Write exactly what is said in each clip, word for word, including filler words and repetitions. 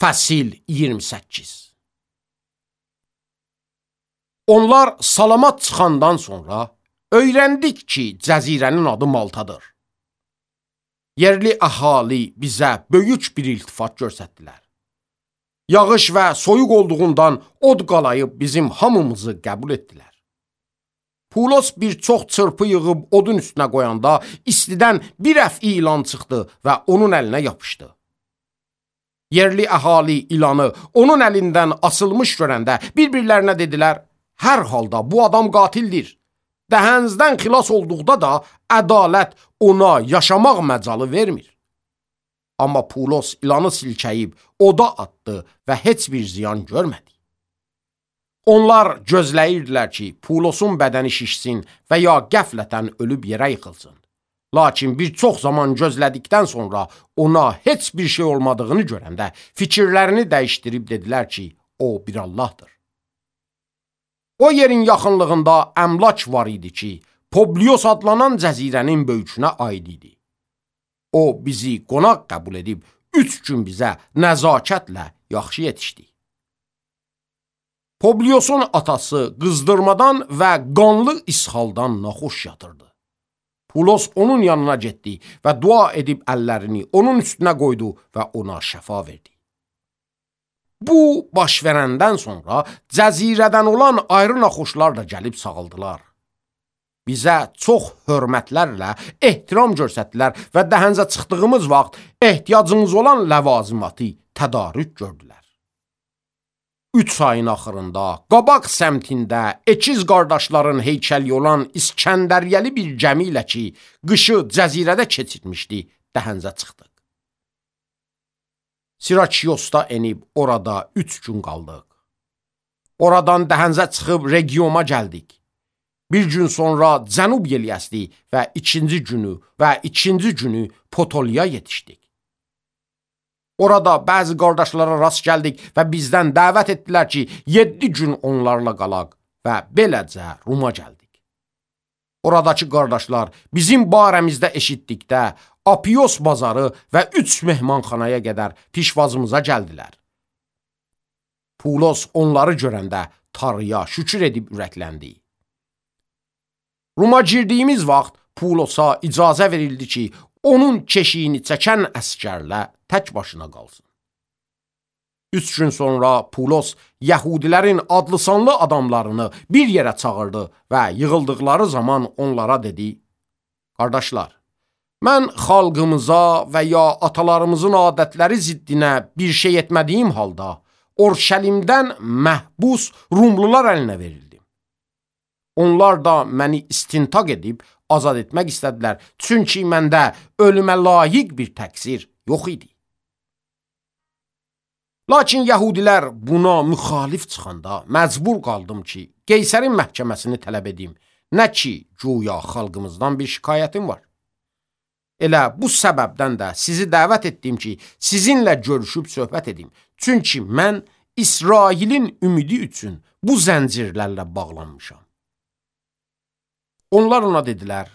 Fəsil iyirmi səkkiz. Onlar salamat çıxandan sonra öyrəndik ki, cəzirənin adı Maltadır. Yerli əhali bizə böyük bir iltifat göstərdilər. Yağış və soyuq olduğundan od qalayıb bizim hamımızı qəbul etdilər. Pulos bir çox çırpı yığıb odun üstünə qoyanda istidən bir əf ilan çıxdı və onun əlinə yapışdı. Yerli əhali ilanı onun əlindən asılmış görəndə bir-birlərinə dedilər, hər halda bu adam qatildir. Dəhənizdən xilas olduqda da ədalət ona yaşamaq məcalı vermir. Amma Pulos ilanı silkəyib oda atdı və heç bir ziyan görmədi. Onlar gözləyirdilər ki, Pulosun bədəni şişsin və ya qəflətən ölüb yerə yıxılsın. Lakin bir çox zaman gözlədikdən sonra ona heç bir şey olmadığını görəndə fikirlərini dəyişdirib dedilər ki, o bir Allahdır. O yerin yaxınlığında əmlak var idi ki, Publios adlanan cəzirənin böyükünə aid idi. O bizi qonaq qəbul edib üç gün bizə nəzakətlə yaxşı yetişdi. Publiosun atası qızdırmadan və qanlı ishaldan naxoş yatırdı. Pulos onun yanına getdi və dua edib əllərini onun üstünə qoydu və ona şəfa verdi. Bu baş verəndən sonra cəzirədən olan ayrı naxoşlar da gəlib sağaldılar. Bizə çox hörmətlərlə ehtiram göstərdilər və dəhənizə çıxdığımız vaxt ehtiyacımız olan ləvazimatı tədarük gördülər. Üç ayın axırında qabaq səmtində əkiz qardaşların heykəli olan İskəndəriyyəli bir gəmi ilə ki, qışı cəzirədə keçirmişdi, dəhənizə çıxdıq. Sirakiosda enib orada üç gün qaldıq. Oradan dəhənizə çıxıb regiona gəldik. Bir gün sonra cənub yeliyəsdi və ikinci günü və ikinci günü Potolya yetişdik. Orada bəzi qardaşlara rast gəldik və bizdən dəvət etdilər ki, yeddi gün onlarla qalaq və beləcə Roma gəldik. Oradakı qardaşlar bizim barəmizdə eşitdikdə Apios bazarı və üç mehmanxanaya qədər pişvazımıza gəldilər. Pulos onları görəndə Tanrıya şükür edib ürəkləndi. Roma girdiyimiz vaxt Pulosa icazə verildi ki, onun keşiyini çəkən əskərlə tək başına qalsın. Üç gün sonra Pulos Yəhudilərin adlı-sanlı adamlarını bir yerə çağırdı və yığıldıqları zaman onlara dedi, qardaşlar, mən xalqımıza və ya atalarımızın adətləri ziddinə bir şey etmədiyim halda Orşəlimdən məhbus Rumlular əlinə verildim. Onlar da məni istintaq edib azad etmək istədilər, çünki məndə ölümə layiq bir təqsir yox idi. Lakin Yəhudilər buna müxalif çıxanda məcbur qaldım ki, Qeysərin məhkəməsini tələb edim, nə ki, güya xalqımızdan bir şikayətim var. Elə bu səbəbdən də sizi dəvət etdim ki, sizinlə görüşüb söhbət edim, çünki mən İsrailin ümidi üçün bu zəncirlərlə bağlanmışam. Onlar ona dedilər,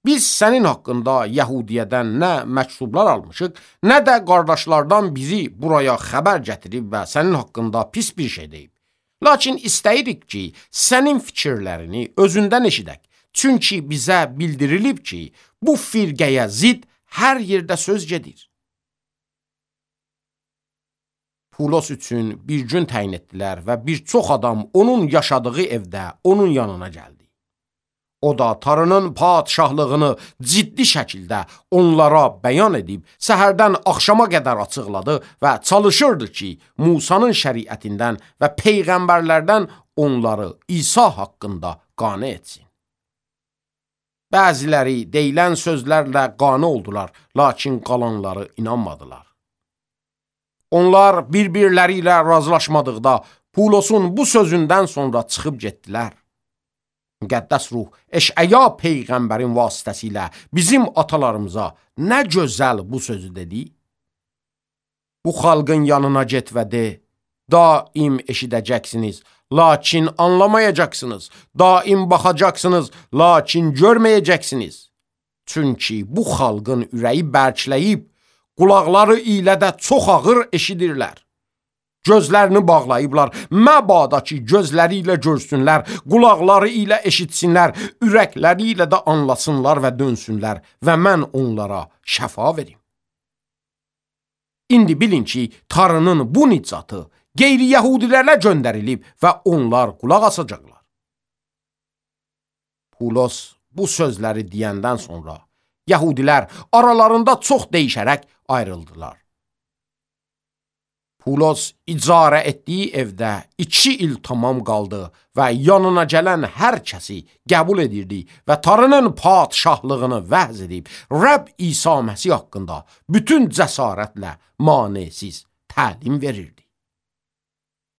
biz sənin haqqında Yəhudiyədən nə məktublar almışıq, nə də qardaşlardan biri buraya xəbər gətirib və sənin haqqında pis bir şey deyib. Lakin istəyirik ki, sənin fikirlərini özündən eşidək. Çünki bizə bildirilib ki, bu firqəyə zid hər yerdə söz gedir. Pulos üçün bir gün təyin etdilər və bir çox adam onun yaşadığı evdə onun yanına gəldi. O da Tanrının padşahlığını ciddi şəkildə onlara bəyan edib, səhərdən axşama qədər açıqladı və çalışırdı ki, Musanın şəriətindən və peyğəmbərlərdən onları İsa haqqında qane etsin. Bəziləri deyilən sözlərlə qane oldular, lakin qalanları inanmadılar. Onlar bir-birləri ilə razılaşmadıqda Pulosun bu sözündən sonra çıxıb getdilər. Müqəddəs ruh Eşəya peyğəmbərin vasitəsilə bizim atalarımıza nə gözəl bu sözü dedi? Bu xalqın yanına get və de, daim eşidəcəksiniz, lakin anlamayacaqsınız, daim baxacaqsınız, lakin görməyəcəksiniz. Çünki bu xalqın ürəyi bərkləyib, qulaqları ilə də çox ağır eşidirlər. Gözlərini bağlayıblar, məbada ki, gözləri ilə görsünlər, qulaqları ilə eşitsinlər, ürəkləri ilə də anlasınlar və dönsünlər və mən onlara şəfa verim. İndi bilin ki, Tanrının bu nicatı qeyri-yəhudilərlə göndərilib və onlar qulaq asacaqlar. Pulos bu sözləri deyəndən sonra Yəhudilər aralarında çox değişərək ayrıldılar. Pulos icarə etdiyi evdə iki il tamam qaldı və yanına gələn hər kəsi qəbul edirdi və Tanrının padşahlığını vəz edib, Rəbb İsa Məsih haqqında bütün cəsarətlə manesiz təlim verirdi.